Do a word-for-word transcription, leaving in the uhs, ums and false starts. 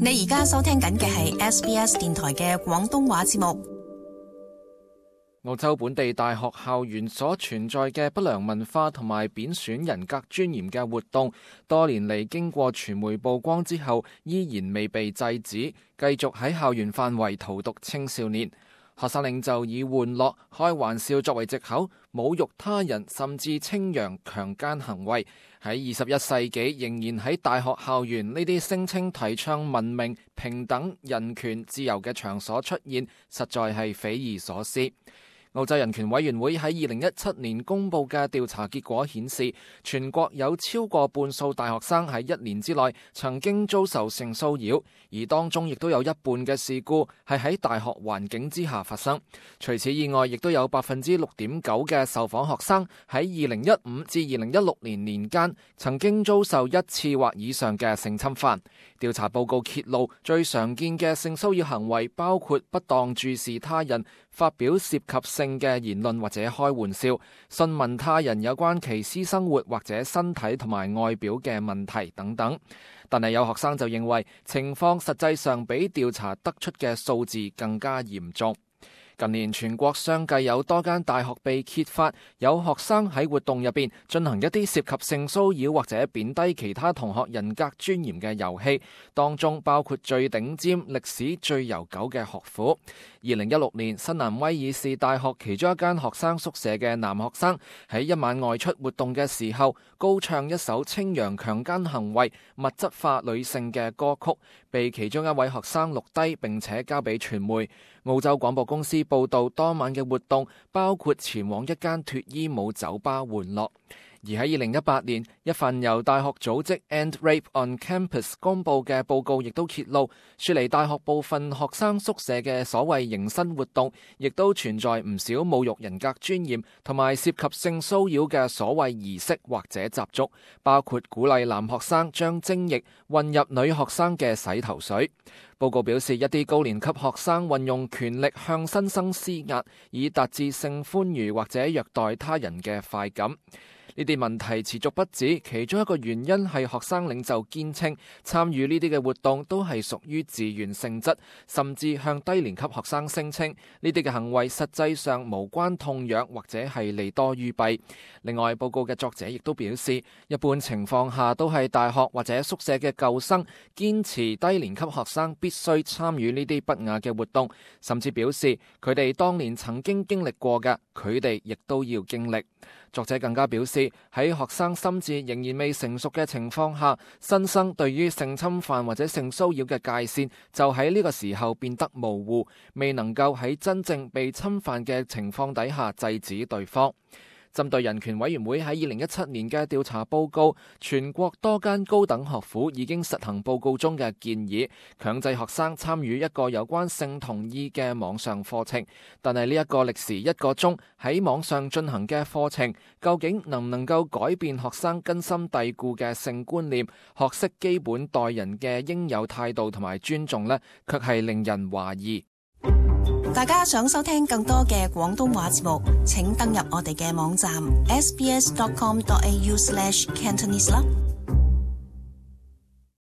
你而家收聽緊嘅係 S B S 電台嘅廣東話節目。澳洲本地大學校園所存在嘅不良文化同埋貶損人格尊嚴嘅活動，多年嚟經過傳媒曝光之後，依然未被制止，繼續喺校園範圍荼毒青少年。學生領袖以玩樂、開玩笑作為藉口，侮辱他人，甚至稱揚強姦行為。喺二十一世紀，仍然喺大學校園呢啲聲稱提倡文明、平等、人權、自由嘅場所出現，實在係匪夷所思。澳洲人權委員會喺二零一七年公布嘅調查結果顯示，全國有超過半數大學生喺一年之內曾經遭受性騷擾，而當中亦都有一半嘅事故係喺大學環境之下發生。除此以外，亦都有百分之六點九嘅受訪學生喺二零一五至二零一六年年間曾經遭受一次或以上嘅性侵犯。調查報告揭露，最常見嘅性騷擾行為包括不當注視他人、發表涉及性嘅言論或者開玩笑、詢問他人有關其私生活或者身體同埋外表嘅問題等等。但係有學生就認為情況實際上比調查得出嘅數字更加嚴重。近年全國相繼有多間大學被揭發有學生喺活動入邊進行一啲涉及性騷擾或者貶低其他同學人格尊嚴嘅遊戲，當中包括最頂尖、歷史最悠久嘅學府。二零一六年，新南威爾士大學其中一間學生宿舍嘅男學生喺一晚外出活動嘅時候，高唱一首稱揚強姦行為、物質化女性嘅歌曲，被其中一位學生錄低並且交俾傳媒。澳洲廣播公司報道，當晚嘅活動包括前往一間脫衣舞酒吧玩樂。而喺二零一八年，一份由大學組織 End Rape on Campus 公佈嘅報告亦都揭露，雪梨大學部分學生宿舍嘅所謂迎新活動，亦都存在唔少侮辱人格尊嚴同埋涉及性騷擾嘅所謂儀式或者習俗，包括鼓勵男學生將精液混入女學生嘅洗頭水。報告表示，一啲高年級學生運用權力向新生施壓，以達至性歡愉或者虐待他人嘅快感。呢啲問題持續不止，其中一個原因係學生領袖堅稱參與呢啲嘅活動都係屬於自願性質，甚至向低年級學生聲稱呢啲嘅行為實際上無關痛癢或者係利多於弊。另外，報告嘅作者亦都表示，一般情況下都係大學或者宿舍嘅舊生堅持低年級學生必須參與呢啲不雅嘅活動，甚至表示佢哋當年曾經經歷過嘅，佢哋亦都要經歷。作者更加表示，喺學生心智仍然未成熟嘅情況下，新生對於性侵犯或者性騷擾嘅界線就喺呢個時候變得模糊，未能夠喺真正被侵犯嘅情況底下制止對方。針對人權委員會喺二零一七年嘅調查報告，全國多間高等學府已經實行報告中嘅建議，強制學生參與一個有關性同意嘅網上課程。但係呢一個歷時一個鐘喺網上進行嘅課程，究竟能唔能夠改變學生根深蒂固嘅性觀念，學識基本待人嘅應有態度同埋尊重呢？卻係令人懷疑。大家想收聽更多嘅廣東話節目，請登入我哋嘅網站 s b s dot com dot a u slash cantonese 啦。